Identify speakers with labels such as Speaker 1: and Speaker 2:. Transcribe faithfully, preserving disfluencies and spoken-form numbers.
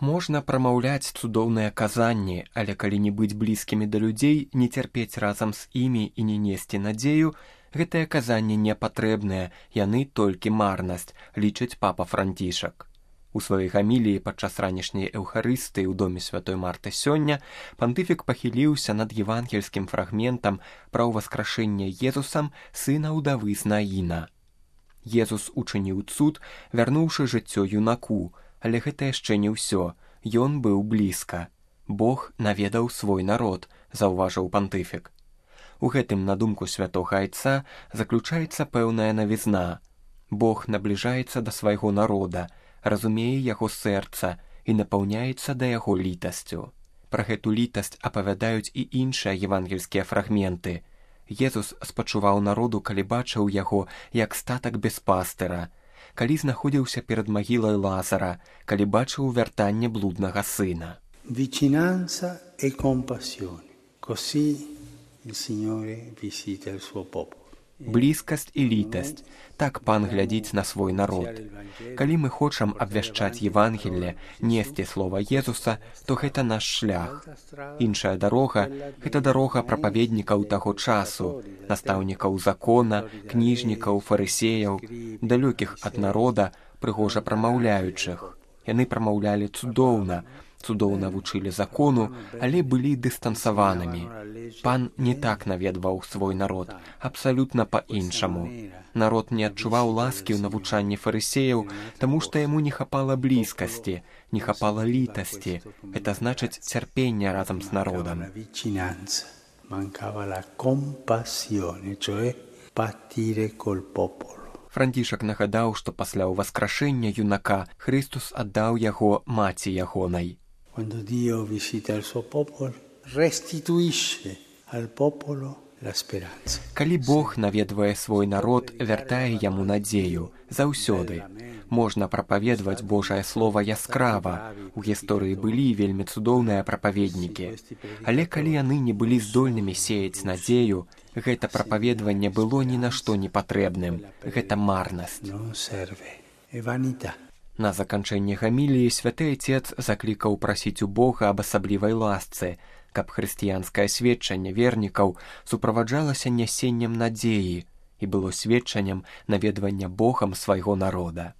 Speaker 1: Можна прамаўляць цудоўныя казанні, але калі не быць блізкімі да людзей, не цярпець разам з імі і не несці надзею, гэтыя казанні не патрэбныя, яны толькі марнасць, лічыць папа Францішак. У сваёй гаміліі падчас ранішняй эўхарыстыі ў доме святой Марты сёння пантыфік пахіліўся над евангельскім фрагментам пра ўваскрашэнне Езусам сына ўдавы з Наіна. Езус учыніў цуд, вярнуўшы жыццё юнаку, але гэта яшчэ не ўсё, ён быў блізка. Бог наведаў свой народ, заўважыў пантыфік. У гэтым, на думку святога айца, заключаецца пэўная навізна. Бог набліжаецца да свайго народа, разумее яго сэрца і напаўняецца да яго літасцю. Пра гэту літасць апавядаюць і іншыя евангельскія фрагменты. Езус спачуваў народу, калі бачыў яго, як статак без пастыра, калі знаходзіўся перад магілай Лазара, калі бачыў вяртанне блуднага сына.
Speaker 2: Vicinanza e compassione. Così il Signore visita il suo popolo.
Speaker 1: Блізкасць і літасць. Так пан глядзіць на свой народ. Калі мы хочам абвяшчаць Евангелле, несці слова Езуса, то гэта наш шлях. Іншая дарога – гэта дарога прапаведнікаў таго часу, настаўнікаў закона, кніжнікаў, фарысеяў, далёкіх ад народа, прыгожа прамаўляючых. Яны прамаўлялі цудоўна, цудоўна вучылі закону, але былі дыстансаванымі. Пан не так наведваў свой народ, абсалютна па-іншаму. Народ не адчуваў ласкі ў навучанні фарысеяў, таму што яму не хапала блізкасці, не хапала літасці. Гэта значыць цярпення разам з народам. Францішак нагадаў, што пасля ўваскрашэння юнака Христус аддаў яго маці ягонай.
Speaker 2: Quando Dio visita il suo popolo, restituisce al popolo la speranza.
Speaker 1: Калі Бог наведвае свой народ, вяртае яму надзею, заўсёды. Можна прапаведваць Божае Слова яскрава. У гісторыі былі вельмі цудоўныя прапаведнікі. Але калі яны не былі здольнымі сеяць надзею, гэта прапаведванне было ні на што не патрэбным. Гэта марнасць.
Speaker 2: Non serve, è vanità.
Speaker 1: На заканчэнне гаміліі святы айцец заклікаў прасіць у Бога аб асаблівай ласцы, каб хрысціянскае сведчанне вернікаў суправаджалася нясеннем надзеі і было сведчаннем наведвання Богам свайго народа.